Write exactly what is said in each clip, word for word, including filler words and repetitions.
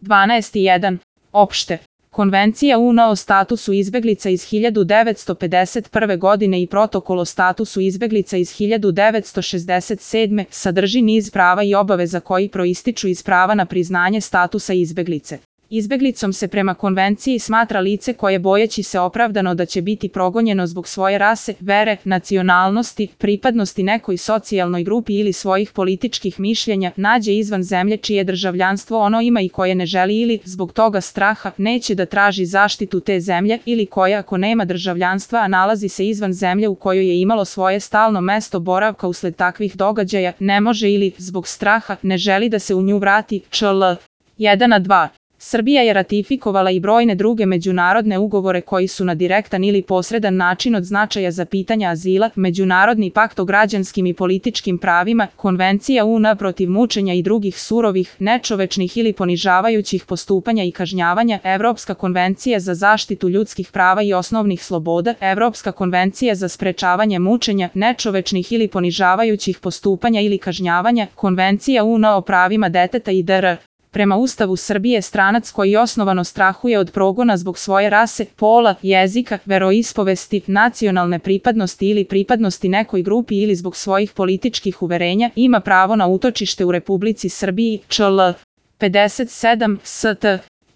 dvanaest jedan. Opšte. Konvencija U N o statusu izbeglica iz hiljadu devetsto pedeset prve. godine i Protokol o statusu izbeglica iz hiljadu devetsto šezdeset sedme. sadrži niz prava i obaveza koji proističu iz prava na priznanje statusa izbeglice. Izbeglicom se prema konvenciji smatra lice koje bojeći se opravdano da će biti progonjeno zbog svoje rase, vere, nacionalnosti, pripadnosti nekoj socijalnoj grupi ili svojih političkih mišljenja, nađe izvan zemlje čije državljanstvo ono ima i koje ne želi ili, zbog toga straha, neće da traži zaštitu te zemlje ili koja ako nema državljanstva a nalazi se izvan zemlje u kojoj je imalo svoje stalno mesto boravka usled takvih događaja, ne može ili, zbog straha, ne želi da se u nju vrati. čl. jedan a dva. Srbija je ratifikovala i brojne druge međunarodne ugovore koji su na direktan ili posredan način od značaja za pitanja azila, Međunarodni pakt o građanskim i političkim pravima, Konvencija U N protiv mučenja i drugih surovih, nečovečnih ili ponižavajućih postupanja i kažnjavanja, Evropska konvencija za zaštitu ljudskih prava i osnovnih sloboda, Evropska konvencija za sprečavanje mučenja, nečovečnih ili ponižavajućih postupanja ili kažnjavanja, Konvencija U N o pravima deteta i dr. Prema Ustavu Srbije stranac koji osnovano strahuje od progona zbog svoje rase, pola, jezika, veroispovesti, nacionalne pripadnosti ili pripadnosti nekoj grupi ili zbog svojih političkih uverenja ima pravo na utočište u Republici Srbiji. čl. pedeset sedam. st.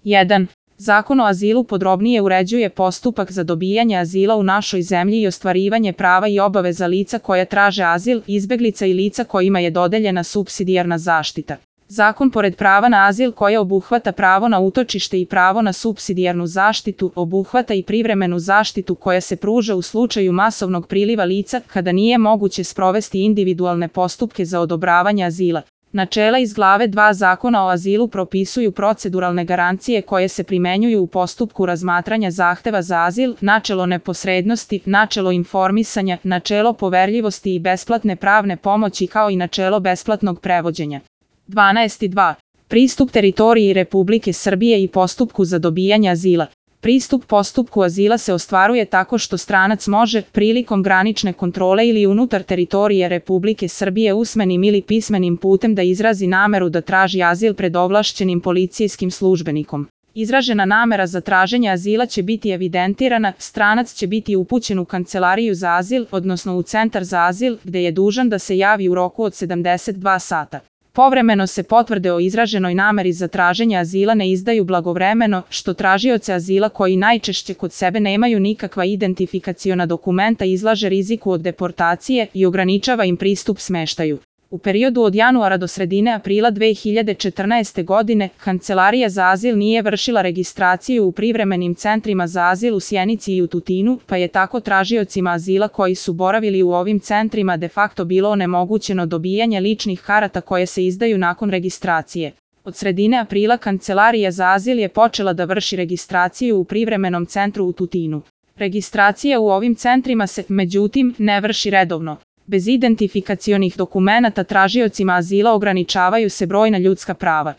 jedan. Zakon o azilu podrobnije uređuje postupak za dobijanje azila u našoj zemlji i ostvarivanje prava i obaveza lica koja traže azil, izbeglica i lica kojima je dodeljena supsidijarna zaštita. Zakon pored prava na azil koje obuhvata pravo na utočište i pravo na supsidijarnu zaštitu, obuhvata i privremenu zaštitu koja se pruža u slučaju masovnog priliva lica kada nije moguće sprovesti individualne postupke za odobravanje azila. Načela iz glave dva Zakona o azilu propisuju proceduralne garancije koje se primenjuju u postupku razmatranja zahteva za azil, načelo neposrednosti, načelo informisanja, načelo poverljivosti i besplatne pravne pomoći kao i načelo besplatnog prevođenja. dvanaest dva. Pristup teritoriji Republike Srbije i postupku za dobijanje azila. Pristup postupku azila se ostvaruje tako što stranac može, prilikom granične kontrole ili unutar teritorije Republike Srbije usmenim ili pismenim putem da izrazi nameru da traži azil pred ovlašćenim policijskim službenikom. Izražena namera za traženje azila će biti evidentirana, stranac će biti upućen u kancelariju za azil, odnosno u centar za azil, gde je dužan da se javi u roku od sedamdeset dva sata. Povremeno se potvrde o izraženoj nameri za traženje azila ne izdaju blagovremeno, što tražioce azila koji najčešće kod sebe nemaju nikakva identifikaciona dokumenta izlaže riziku od deportacije i ograničava im pristup smeštaju. U periodu od januara do sredine aprila dve hiljade četrnaeste. godine, Kancelarija za azil nije vršila registraciju u privremenim centrima za azil u Sjenici i u Tutinu, pa je tako tražiocima azila koji su boravili u ovim centrima de facto bilo onemogućeno dobijanje ličnih karata koje se izdaju nakon registracije. Od sredine aprila Kancelarija za azil je počela da vrši registraciju u privremenom centru u Tutinu. Registracija u ovim centrima se, međutim, ne vrši redovno. Bez identifikacionih dokumenata tražiocima azila ograničavaju se brojna ljudska prava.